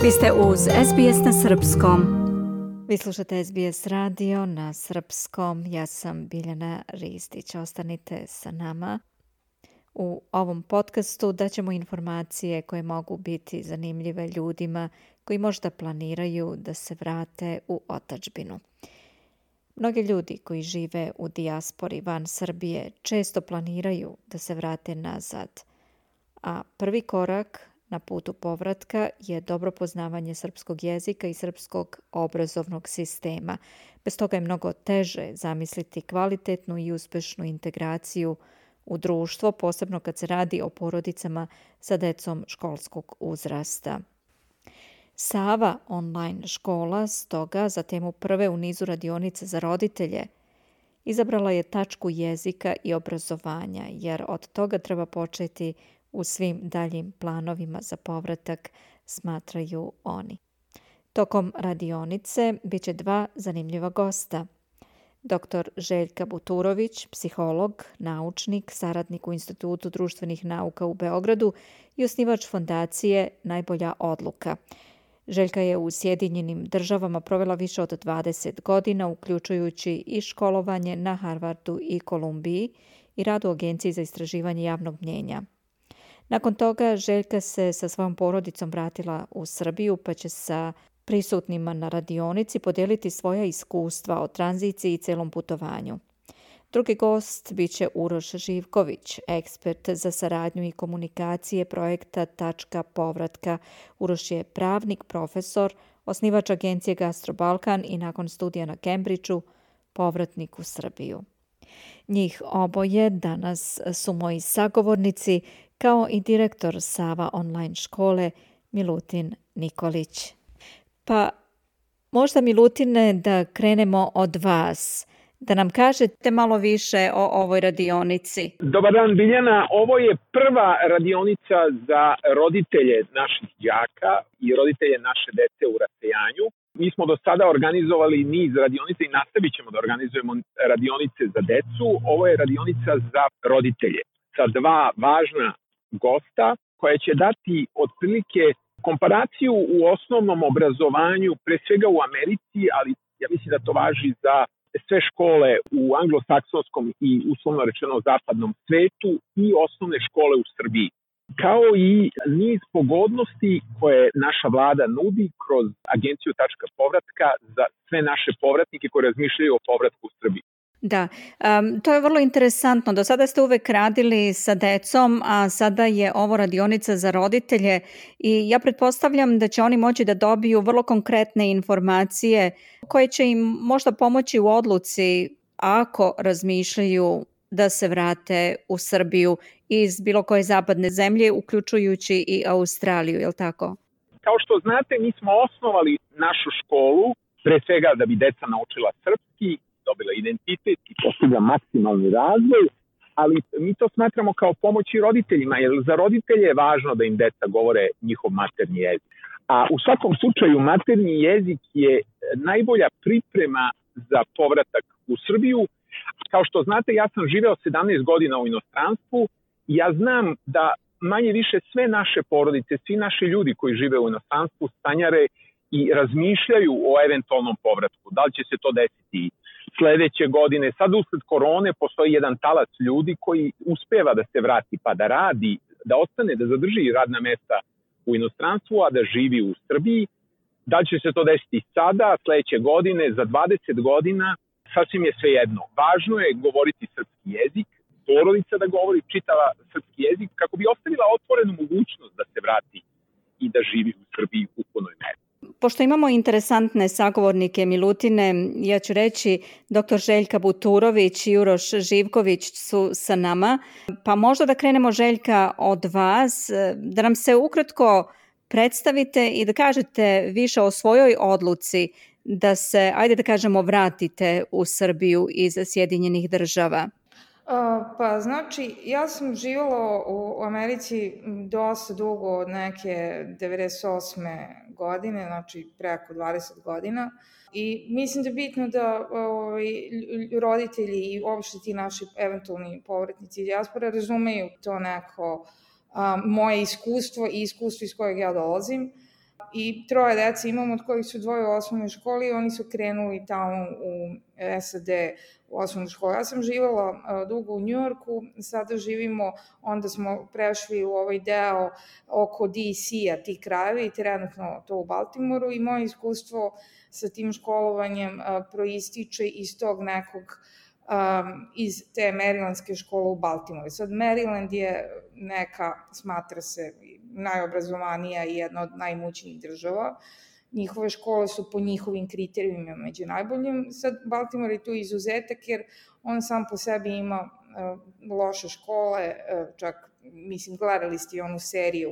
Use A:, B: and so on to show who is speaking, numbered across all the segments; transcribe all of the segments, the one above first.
A: Vi ste uz SBS na srpskom. Vi slušate SBS radio na srpskom. Ja sam Biljana Ristić. Ostanite sa nama. U ovom podcastu daćemo informacije koje mogu biti zanimljive ljudima koji možda planiraju da se vrate u otadžbinu. Mnogi ljudi koji žive u dijaspori van Srbije često planiraju da se vrate nazad, a prvi korak na putu povratka je dobro poznavanje srpskog jezika i srpskog obrazovnog sistema. Bez toga je mnogo teže zamisliti kvalitetnu i uspešnu integraciju u društvo, posebno kad se radi o porodicama sa decom školskog uzrasta. Sava online škola stoga za temu prve u nizu radionica za roditelje izabrala je tačku jezika i obrazovanja, jer od toga treba početi u svim daljim planovima za povratak, smatraju oni. Tokom radionice bit će dva zanimljiva gosta. Dr. Željka Buturović, psiholog, naučnik, saradnik u Institutu društvenih nauka u Beogradu i osnivač fondacije Najbolja odluka. Željka je u Sjedinjenim Državama provela više od 20 godina, uključujući i školovanje na Harvardu i Kolumbiji i rad u Agenciji za istraživanje javnog mnjenja. Nakon toga Željka se sa svojom porodicom vratila u Srbiju, pa će sa prisutnima na radionici podijeliti svoja iskustva o tranziciji i celom putovanju. Drugi gost bit će Uroš Živković, ekspert za saradnju i komunikacije projekta Tačka povratka. Uroš je pravnik, profesor, osnivač agencije Gastrobalkan i nakon studija na Cambridgeu povratnik u Srbiju. Njih oboje danas su moji sagovornici, kao i direktor Sava online škole Milutin Nikolić. Pa možda, Milutine, da krenemo od vas, da nam kažete malo više o ovoj radionici.
B: Dobar dan, Biljana. Ovo je prva radionica za roditelje naših đaka i roditelje naše dece u rasejanju. Mi smo do sada organizovali niz radionica i nastavit ćemo da organizujemo radionice za decu. Ovo je radionica za roditelje sa dva važna gosta koja će dati otprilike komparaciju u osnovnom obrazovanju, pre svega u Americi, ali ja mislim da to važi za sve škole u anglosaksonskom i uslovno rečeno zapadnom svetu i osnovne škole u Srbiji, kao i niz pogodnosti koje naša vlada nudi kroz agenciju Tačka povratka za sve naše povratnike koji razmišljaju o povratku u Srbiji.
A: Da, to je vrlo interesantno. Do sada ste uvek radili sa decom, a sada je ovo radionica za roditelje i ja pretpostavljam da će oni moći da dobiju vrlo konkretne informacije koje će im možda pomoći u odluci ako razmišljaju da se vrate u Srbiju iz bilo koje zapadne zemlje, uključujući i Australiju, je li tako?
B: Kao što znate, mi smo osnovali našu školu pre svega da bi deca naučila srpski, dobila identitet i postigla maksimalni razvoj, ali mi to smatramo kao pomoć i roditeljima, jer za roditelje je važno da im deca govore njihov maternji jezik. A u svakom slučaju maternji jezik je najbolja priprema za povratak u Srbiju. Kao što znate, ja sam živeo 17 godina u inostranstvu i ja znam da manje više sve naše porodice, svi naši ljudi koji žive u inostranstvu sanjare i razmišljaju o eventualnom povratku. Da li će se to desiti sledeće godine? Sad usled korone postoji jedan talac ljudi koji uspeva da se vrati pa da radi, da ostane, da zadrži radna mesta u inostranstvu, a da živi u Srbiji. Da li će se to desiti sada, sledeće godine, za 20 godina, sasvim je svejedno. Važno je govoriti srpski jezik, porodica da govori čitava srpski jezik, kako bi ostavila otvorenu mogućnost da se vrati i da živi u Srbiji u punoj meri.
A: Pošto imamo interesantne sagovornike, Milutine, ja ću reći dr. Željka Buturović i Uroš Živković su sa nama, pa možda da krenemo, Željka, od vas, da nam se ukratko predstavite i da kažete više o svojoj odluci da se, ajde da kažemo, vratite u Srbiju iz Sjedinjenih Država.
C: Pa znači, ja sam živjela u Americi dosta dugo, od neke 98. godine, znači preko 20 godina. I mislim da je bitno da roditelji i uopšte ti naši eventualni povratnici dijaspore razumeju to neko moje iskustvo i iskustvo iz kojeg ja dolazim. I 3 dece imam, od kojih su 2 u osnovnoj školi i oni su krenuli tamo u SAD u osnovnoj školi. Ja sam živjela dugo u Njujorku, sada živimo, onda smo prešli u ovaj deo oko DC-a, ti krajevi, i trenutno to u Baltimoru, i moje iskustvo sa tim školovanjem proističe iz tog nekog iz te marylandske škole u Baltimoru. Sad, Maryland je neka, smatra se, najobrazovanija i jedna od najmoćnijih država. Njihove škole su po njihovim kriterijumima među najboljim. Sad, Baltimore je tu izuzetak jer on sam po sebi ima loše škole, čak, mislim, gledali ste i onu seriju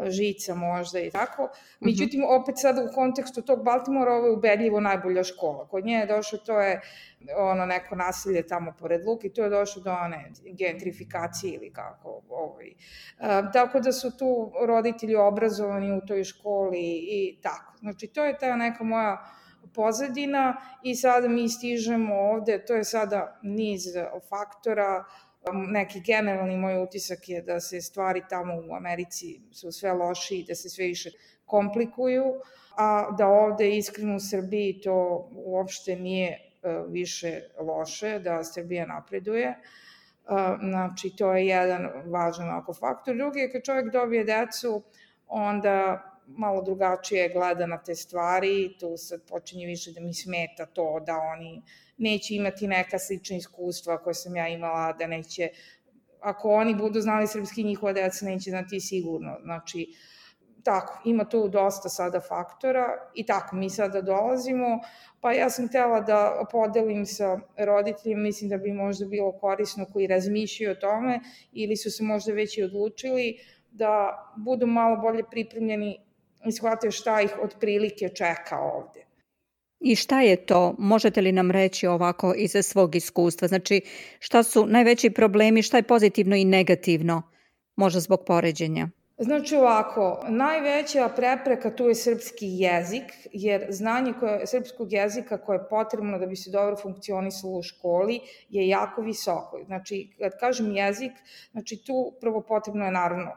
C: Žica možda i tako. Međutim, opet sada u kontekstu tog Baltimora ovo je ubedljivo najbolja škola. Kod nje je došlo, to je neko naselje tamo pored Luke i to je došlo do one gentrifikacije ili kako. Tako da su tu roditelji obrazovani u toj školi i tako. Znači, to je ta neka moja pozadina i sada mi stižemo ovde, to je sada niz faktora. Neki generalni moj utisak je da se stvari tamo u Americi su sve loši i da se sve više komplikuju, a da ovde iskreno u Srbiji to uopšte nije više loše, da Srbija napreduje. Znači, to je jedan važan faktor. Drugi je kad čovjek dobije decu, onda malo drugačije gleda na te stvari, tu sad počinje više da mi smeta to da oni neće imati neka slična iskustva koje sam ja imala, da neće, ako oni budu znali srpski, njihova deca neće znati sigurno. Znači, tako, ima tu dosta sada faktora i tako, mi sada dolazimo, pa ja sam htela da podelim sa roditeljima, mislim da bi možda bilo korisno koji razmišljaju o tome ili su se možda već i odlučili da budu malo bolje pripremljeni i shvataju šta ih otprilike čeka ovde.
A: I šta je to? Možete li nam reći ovako iz svog iskustva? Znači, šta su najveći problemi, šta je pozitivno i negativno, možda zbog poređenja?
C: Znači ovako, najveća prepreka tu je srpski jezik, jer znanje srpskog jezika koje je potrebno da bi se dobro funkcionisalo u školi je jako visoko. Znači, kad kažem jezik, znači tu prvo potrebno je naravno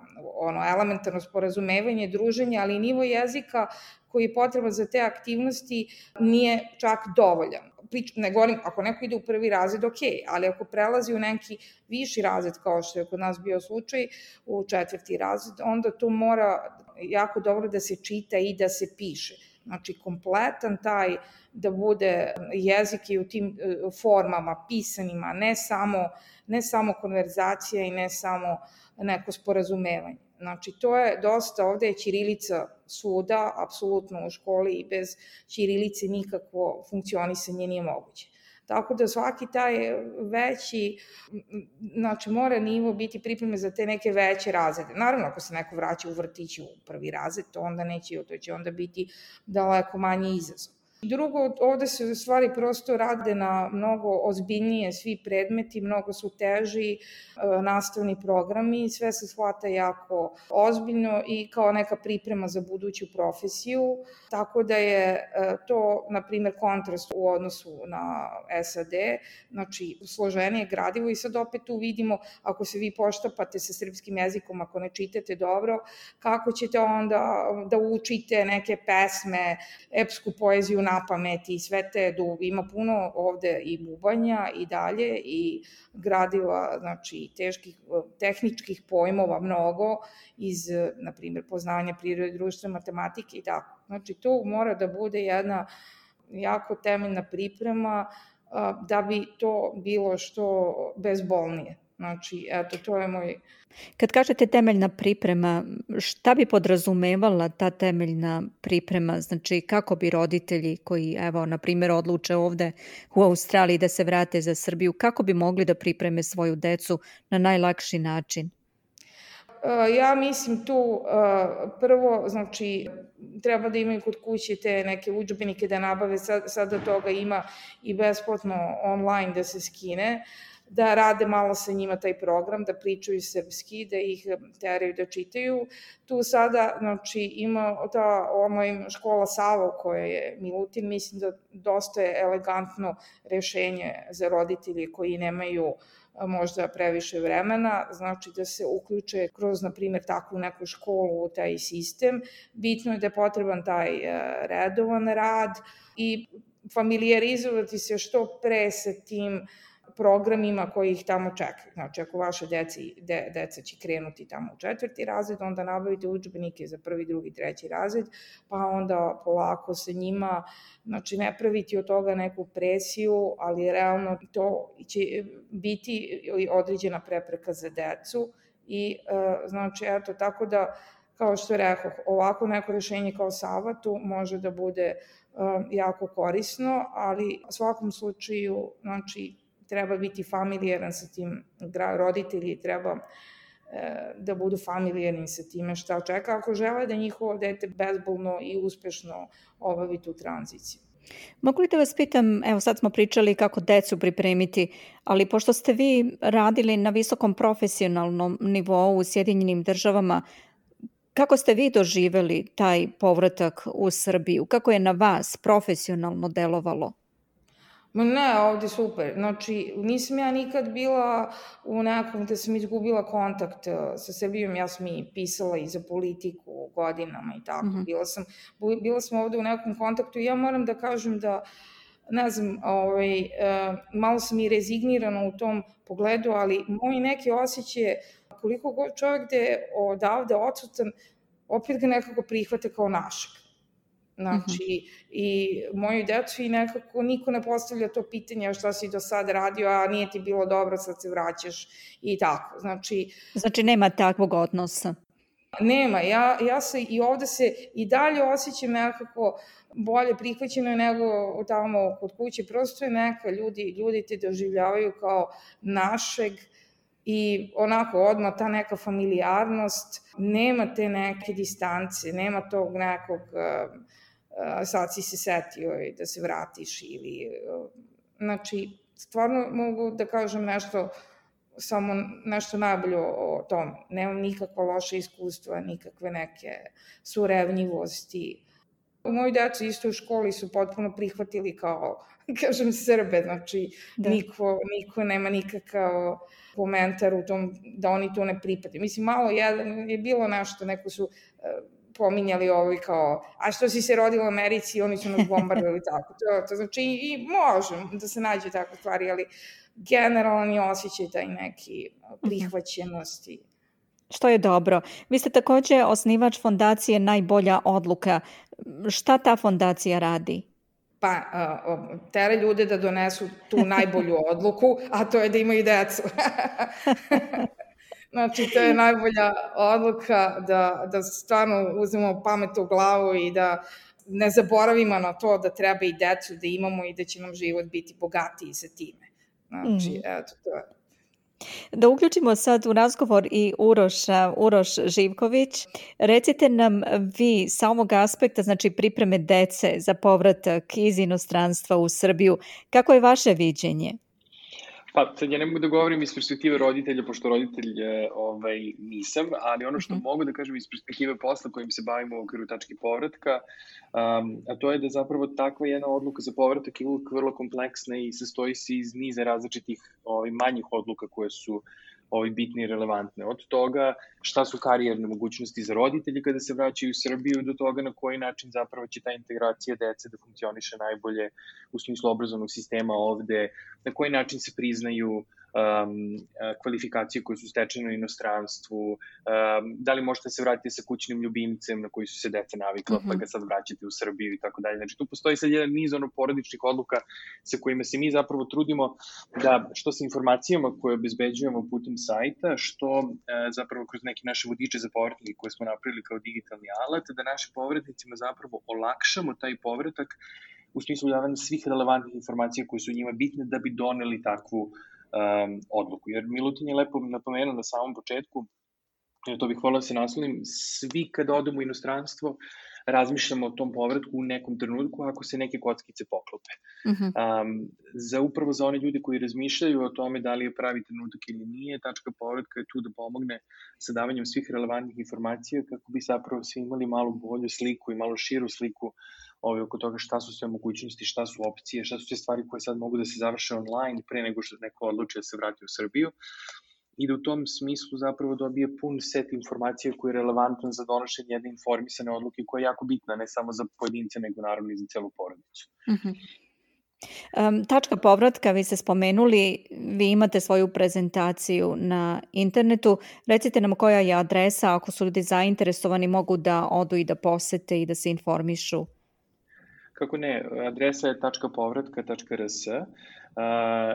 C: elementarno sporazumevanje, druženje, ali i nivo jezika koji je potreban za te aktivnosti nije čak dovoljan. Ne govorim, ako neko ide u 1. razred, ok, ali ako prelazi u neki viši razred, kao što je kod nas bio slučaj, u 4. razred, onda to mora jako dobro da se čita i da se piše. Znači, kompletan taj da bude jezik i u tim formama, pisanima, ne samo konverzacija i ne samo neko sporazumevanje. Znači, to je dosta, ovde je ćirilica svuda, apsolutno u školi i bez ćirilice nikakvo funkcionisanje nije moguće. Tako da svaki taj veći, znači mora nivo biti pripreme za te neke veće razrede. Naravno, ako se neko vraća u vrtić u 1. razred, to onda neće, to će onda biti daleko manji izazov. Drugo, ovde se stvari prosto rade na mnogo ozbiljnije, svi predmeti, mnogo su teži nastavni programi, sve se shvata jako ozbiljno i kao neka priprema za buduću profesiju, tako da je to, na primjer, kontrast u odnosu na SAD, znači složenije gradivo i sad opet tu vidimo, ako se vi poštapate sa srpskim jezikom, ako ne čitate dobro, kako ćete onda da učite neke pesme, epsku poeziju na pamet i sve te, ima puno ovde i bubanja i dalje i gradiva, znači tehničkih pojmova mnogo iz, na primjer, poznanja prirode, društva, matematike i tako. Znači, to mora da bude jedna jako temeljna priprema da bi to bilo što bezbolnije. Znači, eto, to je moj...
A: Kad kažete temeljna priprema, šta bi podrazumevala ta temeljna priprema? Znači, kako bi roditelji koji, evo, na primjer, odluče ovde u Australiji da se vrate za Srbiju, kako bi mogli da pripreme svoju decu na najlakši način?
C: Ja mislim tu prvo, znači, treba da imaju kod kuće te neke udžbenike da nabave, sada toga ima i besplatno online da se skine, da rade malo sa njima taj program, da pričaju srpski, da ih teraju da čitaju. Tu sada, znači, ima ta online škola Savo koja je Milutin, mislim da dosta je elegantno rešenje za roditelje koji nemaju možda previše vremena, znači da se uključe kroz, na primjer, takvu neku školu u taj sistem. Bitno je da je potreban taj redovan rad i familijarizovati se što pre sa tim programima koji ih tamo čekaju. Znači, ako vaše deca će krenuti tamo u 4. razred, onda nabavite udžbenike za 1., 2., 3. razred, pa onda polako sa njima, znači ne praviti od toga neku presiju, ali realno to će biti određena prepreka za decu i znači, eto, tako da, kao što rekoh, ovako neko rešenje kao Savatu može da bude jako korisno, ali u svakom slučaju, znači, treba biti familijaran sa tim, roditelji treba da budu familijarni sa time šta čeka, ako žele da njihovo dete bezbolno i uspešno obavi tu tranziciju.
A: Mogu li da vas pitam, evo sad smo pričali kako decu pripremiti, ali pošto ste vi radili na visokom profesionalnom nivou u Sjedinjenim Državama, kako ste vi doživeli taj povratak u Srbiju? Kako je na vas profesionalno delovalo?
C: Ne, ovde super. Znači, nisam ja nikad bila u nekom da sam izgubila kontakt sa Srbijom. Ja sam i pisala i za politiku godinama i tako. Bila sam ovde u nekom kontaktu i ja moram da kažem da, ne znam, malo sam i rezignirana u tom pogledu, ali moji neki osjećaje, koliko god čovjek da je odavde odsutan, opet ga nekako prihvate kao našeg. Znači, i moju decu i nekako niko ne postavlja to pitanje šta si do sada radio, a nije ti bilo dobro, sad se vraćaš i tako. Znači
A: nema takvog odnosa?
C: Nema, ja se i ovde se i dalje osjećam nekako bolje prihvaćeno nego tamo kod kuće, prosto je neka, ljudi te doživljavaju kao našeg i onako odmah ta neka familijarnost, nema te neke distance, nema tog nekog sad si se setio da se vratiš ili, znači, stvarno mogu da kažem samo nešto najbolje o tom. Nemam nikakva loša iskustva, nikakve neke surevnjivosti. Moji deca isto u školi su potpuno prihvatili kao, kažem, Srbe, znači niko nema nikakav komentar u tom da oni to ne pripade. Mislim, malo je bilo nešto, neko su pominjali kao, a što si se rodila u Americi, oni su nas bombardovali tako. To znači i može da se nađe takve stvari, ali generalan je osjećaj taj neki prihvaćenosti.
A: Što je dobro. Vi ste takođe osnivač fondacije Najbolja odluka. Šta ta fondacija radi?
C: Pa, tere ljude da donesu tu najbolju odluku, a to je da imaju decu. Znači, to je najbolja odluka da stvarno uzmemo pamet u glavu i da ne zaboravimo na to da treba i decu da imamo i da će nam život biti bogatiji sa time. Znači, eto, to je.
A: Da uključimo sad u razgovor i Uroš Živković. Recite nam vi sa ovog aspekta, znači pripreme dece za povratak iz inostranstva u Srbiju, kako je vaše viđenje?
D: Pa, sad ja ne mogu da govorim iz perspektive roditelja, pošto roditelj nisam, ali ono što mogu da kažem iz perspektive posla kojim se bavimo u okviru tačke povratka, a to je da zapravo takva jedna odluka za povratak je uvijek vrlo kompleksna i sastoji se iz niza različitih manjih odluka koje su bitne i relevantne. Od toga šta su karijerne mogućnosti za roditelji kada se vraćaju u Srbiju, do toga na koji način zapravo će ta integracija dece da funkcioniše najbolje u smislu obrazovnog sistema ovde, na koji način se priznaju kvalifikacije koje su stečene u inostranstvu, da li možete se vratiti sa kućnim ljubimcem na koji su se deca navikla, pa ga sad vraćate u Srbiju i tako dalje. Znači, tu postoji sad jedan niz porodičnih odluka sa kojima se mi zapravo trudimo da, što sa informacijama koje obezbeđujemo putem sajta, što zapravo kroz neke naše vodiče za povratnike koje smo napravili kao digitalni alat, da našim povratnicima zapravo olakšamo taj povratak u smislu davanja svih relevantnih informacija koje su njima bitne da bi doneli takvu odluku. Jer Milutin je lepo napomenuo na samom početku, to bih volao da se naslonim, svi kada odemo u inostranstvo razmišljamo o tom povratku u nekom trenutku ako se neke kockice poklope. Upravo za one ljude koji razmišljaju o tome da li je pravi trenutak ili nije, tačka povratka je tu da pomogne sa davanjem svih relevantnih informacija kako bi zapravo svi imali malo bolju sliku i malo širu sliku oko toga šta su sve mogućnosti, šta su opcije, šta su sve stvari koje sad mogu da se završe online pre nego što neko odluči da se vrati u Srbiju. I da u tom smislu zapravo dobije pun set informacija koji je relevantan za donošenje jedne informisane odluke koja je jako bitna, ne samo za pojedince, nego naravno i za celu porodicu.
A: Tačka povratka, vi ste spomenuli, vi imate svoju prezentaciju na internetu. Recite nam koja je adresa, ako su ljudi zainteresovani mogu da odu i da posete i da se informišu.
D: Kako ne, adresa je tačkapovratka.rs,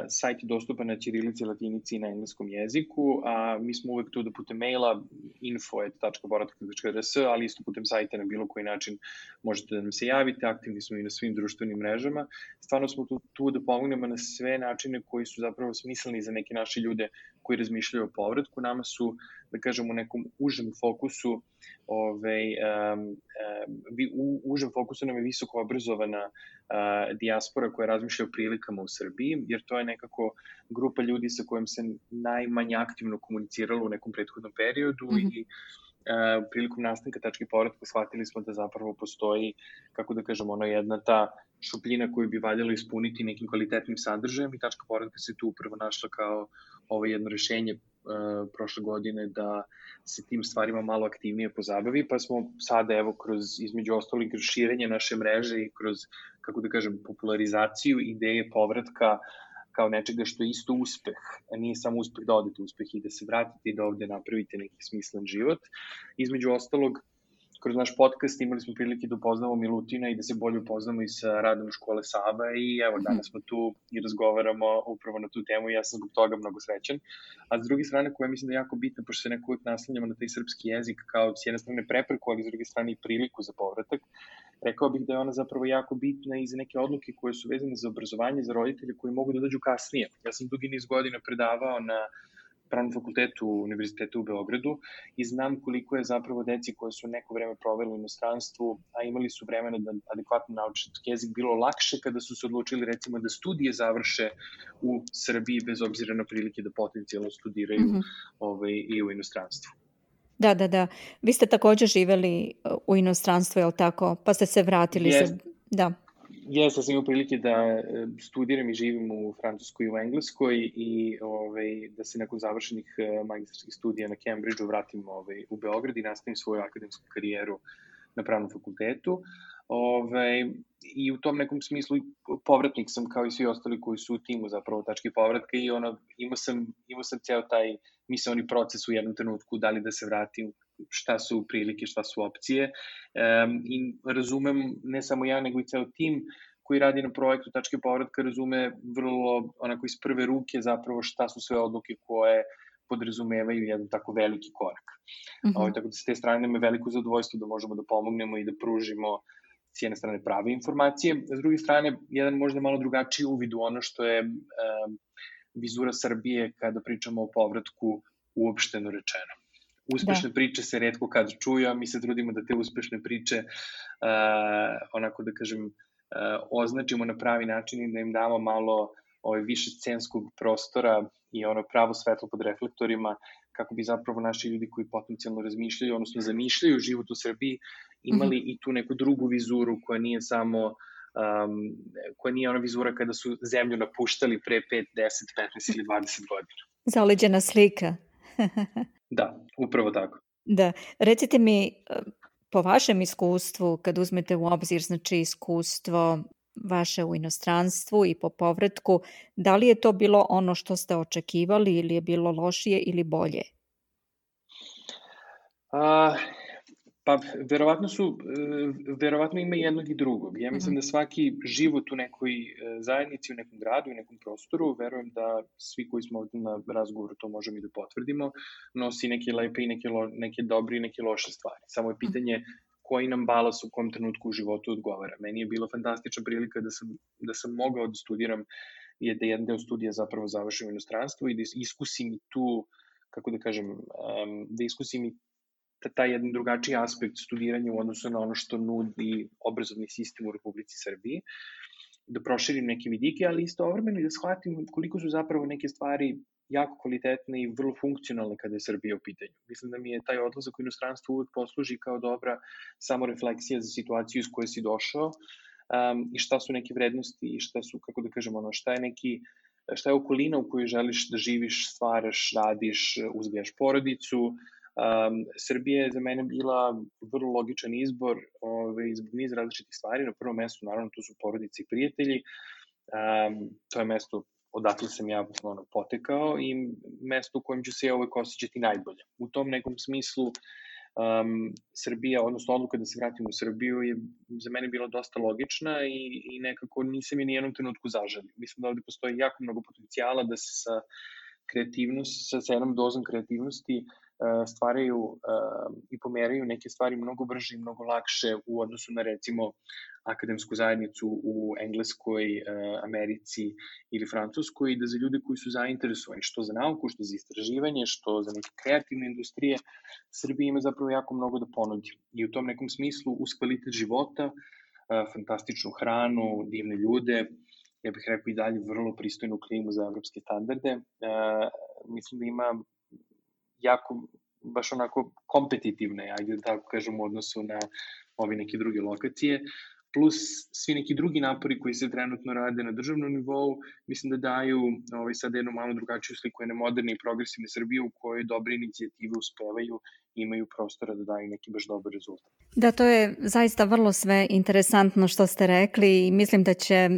D: sajt je dostupan na ćirilici, latinici i na engleskom jeziku, a mi smo uvek tu da putem maila info@tačkapovratka.rs, ali isto putem sajta na bilo koji način možete da nam se javite, aktivni smo i na svim društvenim mrežama. Stvarno smo tu da pomognemo na sve načine koji su zapravo smisleni za neke naše ljude koji razmišljaju o povratku. Nama su, da kažem, u nekom užem fokusu u užem fokusu nam je visoko obrazovana dijaspora koja razmišlja o prilikama u Srbiji, jer to je nekako grupa ljudi sa kojom se najmanje aktivno komuniciralo u nekom prethodnom periodu i prilikom nastanka tačke povratka shvatili smo da zapravo postoji, kako da kažem, jedna ta šupljina koju bi valjalo ispuniti nekim kvalitetnim sadržajem i tačka povratka se tu upravo našla kao jedno rešenje prošle godine da se tim stvarima malo aktivnije pozabavi, pa smo sada kroz, između ostalih, kroz širenje naše mreže i kroz, kako da kažem, popularizaciju ideje povratka kao nečega što je isto uspeh, a nije samo uspeh da odete uspeh i da se vratite i da ovde napravite neki smislen život. Između ostalog, kroz naš podcast imali smo prilike da upoznamo Milutina i da se bolje upoznamo i sa radom škole Saba i evo danas smo tu i razgovaramo upravo na tu temu i ja sam zbog toga mnogo srećan. A s druge strane, koja mislim da je jako bitna, pošto se neko uvijek naslanjamo na taj srpski jezik kao s jedne strane prepreku, ali s druge strane i priliku za povratak, rekao bih da je ona zapravo jako bitna i za neke odluke koje su vezane za obrazovanje, za roditelje koji mogu da dođu kasnije. Ja sam dugi niz godina predavao na Pravnom fakultetu Univerziteta u Beogradu i znam koliko je zapravo deci koje su neko vreme proveli u inostranstvu, a imali su vremena da adekvatno nauče jezik, bilo lakše kada su se odlučili recimo da studije završe u Srbiji bez obzira na prilike da potencijalno studiraju i u inostranstvu.
A: Da. Vi ste također živeli u inostranstvu, je li tako? Pa ste se vratili. Da.
D: Jeste, sam imao prilike da studiram i živim u Francuskoj i u Engleskoj i da se nakon završenih magistarskih studija na Cambridgeu vratim u Beograd i nastavim svoju akademsku karijeru na Pravnom fakultetu. I u tom nekom smislu povratnik sam kao i svi ostali koji su u timu zapravo tačke povratka i imao sam ceo taj misaoni proces u jednom trenutku, da li da se vratim, šta su prilike, šta su opcije i razumem, ne samo ja, nego i ceo tim koji radi na projektu tačke povratka razume vrlo onako iz prve ruke zapravo šta su sve odluke koje podrazumevaju jedan tako veliki korak. Tako da s te strane nam je veliko zadovoljstvo da možemo da pomognemo i da pružimo s jedne strane prave informacije, s druge strane jedan možda malo drugačiji uvid u ono što je vizura Srbije kada pričamo o povratku uopšteno rečeno. Uspešne priče se retko kad čuju, a mi se trudimo da te uspešne priče onako da kažem označimo na pravi način i da im damo malo više scenskog prostora i pravo svetlo pod reflektorima kako bi zapravo naši ljudi koji potencijalno razmišljaju, odnosno zamišljaju život u Srbiji, imali i tu neku drugu vizuru koja nije samo koja nije ona vizura kada su zemlju napuštali pre 5, 10, 15 ili 20 godina.
A: Zaleđena slika.
D: Da, upravo tako.
A: Da, recite mi po vašem iskustvu, kad uzmete u obzir iskustvo vaše u inostranstvu i po povratku, da li je to bilo ono što ste očekivali ili je bilo lošije ili bolje?
D: Pa, verovatno ima jednog i drugog. Ja mislim da svaki život u nekoj zajednici, u nekom gradu, u nekom prostoru, verujem da svi koji smo ovdje na razgovoru to možemo i da potvrdimo, nosi neke lepe i neke dobre i neke loše stvari. Samo je pitanje koji nam balans u kom trenutku u životu odgovara. Meni je bila fantastična prilika da sam mogao da studiram, da jedan deo studija zapravo završim u inostranstvu i da iskusim i tu, kako da kažem, da iskusim i taj jedan drugačiji aspekt studiranja u odnosu na ono što nudi obrazovni sistem u Republici Srbiji, da proširim neke vidike, ali istovremeno i da shvatim koliko su zapravo neke stvari jako kvalitetne i vrlo funkcionalne kada je Srbija u pitanju. Mislim da mi je taj odlazak u inostranstvo uvek posluži kao dobra samorefleksija za situaciju iz koje si došao i šta su neke vrednosti i šta su, kako da kažem, šta je okolina u kojoj želiš da živiš, stvaraš, radiš, uzgajaš porodicu. Srbija je za mene bila vrlo logičan izbor zbog niz različitih stvari. Na prvom mestu, naravno, tu su porodice i prijatelji. To je mesto odakle sam ja potekao i mesto u kojem ću se ja uvek osjećati najbolje. U tom nekom smislu Srbija, odnosno odluka da se vratim u Srbiju je za mene bila dosta logična i nekako nisam je ni jednom trenutku zaželio. Mislim da ovde postoji jako mnogo potencijala da se sa jednom dozom kreativnosti stvaraju i pomeraju neke stvari mnogo brže i mnogo lakše u odnosu na, recimo, akademsku zajednicu u Engleskoj, Americi ili Francuskoj, i da za ljude koji su zainteresovani što za nauku, što za istraživanje, što za neke kreativne industrije, Srbija ima zapravo jako mnogo da ponudi. I u tom nekom smislu, uz kvalitet života, fantastičnu hranu, divne ljude, ja bih rekao i dalje vrlo pristojnu klimu za evropske standarde, mislim da ima jako, baš onako kompetitivne, ajde da tako kažem, u odnosu na ove neke druge lokacije, plus svi neki drugi napori koji se trenutno rade na državnom nivou, mislim da daju sad jednu malo drugačiju sliku jedne moderne i progresivne Srbije u kojoj dobre inicijative uspevaju i imaju prostora da daju neki baš dobar rezultat.
A: Da, to je zaista vrlo sve interesantno što ste rekli i mislim da će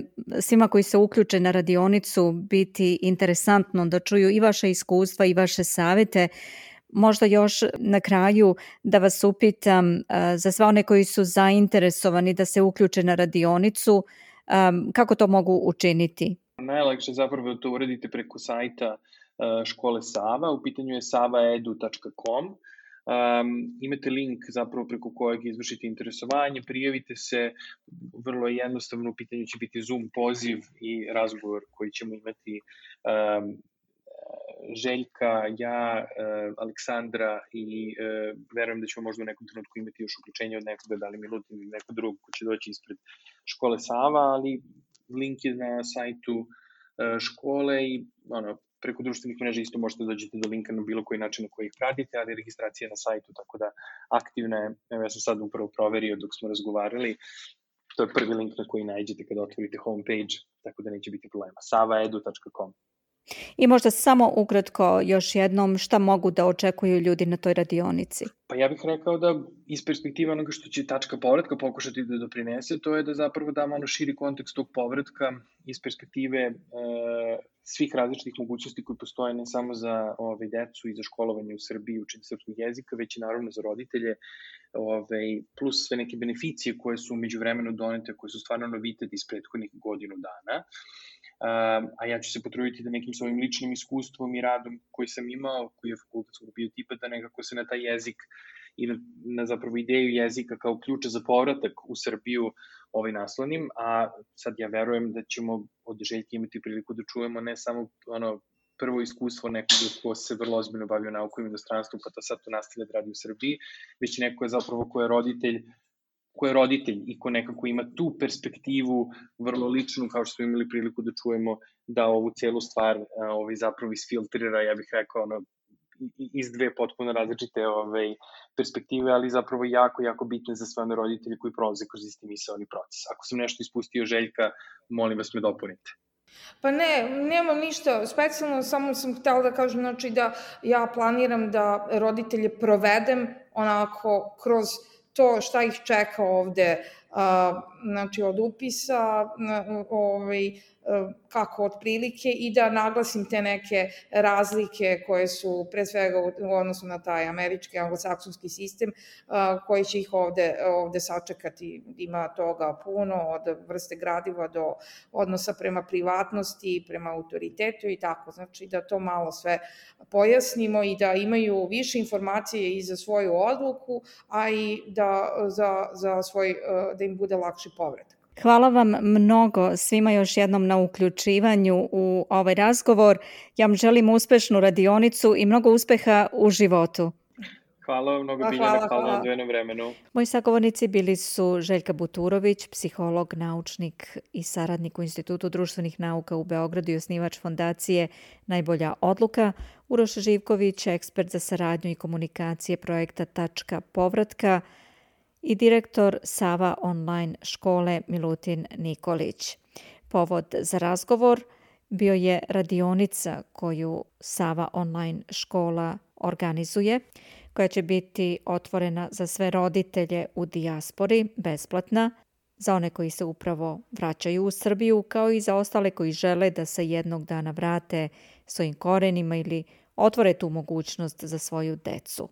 A: svima koji se uključe na radionicu biti interesantno da čuju i vaše iskustva i vaše savete. Možda još na kraju da vas upitam za sve one koji su zainteresovani da se uključe na radionicu, kako to mogu učiniti?
D: Najlakše zapravo to uradite preko sajta škole Sava, u pitanju je savaedu.com. Imate link zapravo preko kojeg izvršite interesovanje, prijavite se, vrlo jednostavno, u pitanju će biti Zoom poziv i razgovor koji ćemo imati Željka, ja, Aleksandra i verujem da ćemo možda u nekom trenutku imati još uključenje od nekoga, da li Milutin ili neko drugog ko će doći ispred škole Sava, ali link je na sajtu škole i preko društvenih mreža isto možete dođete do linka na bilo koji način na koji ih pratite, ali registracija je na sajtu, tako da aktivna je. Evo, ja sam sad upravo proverio dok smo razgovarali, to je prvi link na koji nađete kada otvorite homepage, tako da neće biti problema. savaedu.com.
A: I možda samo ukratko još jednom šta mogu da očekuju ljudi na toj radionici?
D: Pa ja bih rekao da iz perspektive onoga što će tačka povratka pokušati da doprinese, to je da zapravo damo širi kontekst tog povratka iz perspektive svih različitih mogućnosti koje postoje ne samo za decu i za školovanje u Srbiji, učenje srpskog jezika, već i naravno za roditelje, plus sve neke beneficije koje su međuvremeno donete, koje su stvarno novitet iz prethodnih godinu dana. A ja ću se potruditi da nekim svojim ličnim iskustvom i radom koji sam imao, koji je fakultetskog biotipa, da nekako se na taj jezik i na zapravo ideju jezika kao ključa za povratak u Srbiju naslonim, a sad ja verujem da ćemo od Željke imati priliku da čujemo ne samo prvo iskustvo nekoga ko se vrlo ozbiljno bavio naukom i inostranstvom, pa to sad to nastavlja da radi u Srbiji, već neko je zapravo ko je roditelj i ko nekako ima tu perspektivu vrlo ličnu, kao što smo imali priliku da čujemo, da ovu celu stvar zapravo isfiltrira, ja bih rekao, iz dve potpuno različite perspektive, ali zapravo jako, jako bitne za sve one roditelje koji prolaze kroz isti misaoni proces. Ako sam nešto ispustio, Željka, molim vas me dopunite.
C: Pa ne, nemam ništa specijalno, samo sam htela da kažem, znači da ja planiram da roditelje provedem onako kroz to šta ih čeka ovde, znači od upisa, kako otprilike, i da naglasim te neke razlike koje su pre svega u odnosu na taj američki, anglosaksonski sistem, koji će ih ovde sačekati. Ima toga puno, od vrste gradiva do odnosa prema privatnosti, prema autoritetu i tako. Znači da to malo sve pojasnimo i da imaju više informacije i za svoju odluku, a i da im bude lakši povratak.
A: Hvala vam mnogo svima još jednom na uključivanju u ovaj razgovor. Ja vam želim uspešnu radionicu i mnogo uspeha u životu.
D: Hvala vam mnogo, Biljana, hvala na odvojenom vremenu.
A: Moji sagovornici bili su Željka Buturović, psiholog, naučnik i saradnik u Institutu društvenih nauka u Beogradu i osnivač fondacije Najbolja odluka, Uroš Živković, ekspert za saradnju i komunikacije projekta Tačka povratka i direktor Sava online škole Milutin Nikolić. Povod za razgovor bio je radionica koju Sava online škola organizuje, koja će biti otvorena za sve roditelje u dijaspori, besplatna, za one koji se upravo vraćaju u Srbiju, kao i za ostale koji žele da se jednog dana vrate svojim korenima ili otvore tu mogućnost za svoju decu.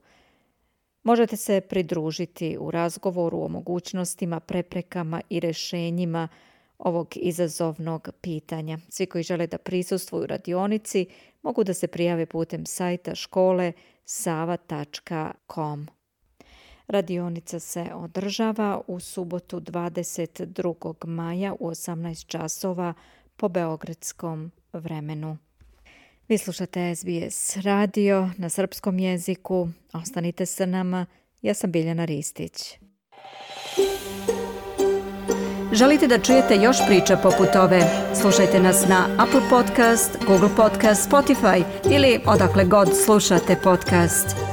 A: Možete se pridružiti u razgovoru o mogućnostima, preprekama i rešenjima ovog izazovnog pitanja. Svi koji žele da prisustvuju radionici mogu da se prijave putem sajta škole sava.com. Radionica se održava u subotu 22. maja u 18 časova po beogradskom vremenu. Vi slušate SBS radio na srpskom jeziku. Ostanite sa nama. Ja sam Biljana Ristić. Želite da čujete još priča poput ove? Slušajte nas na Apple Podcast, Google Podcast, Spotify ili odakle god slušate podcast.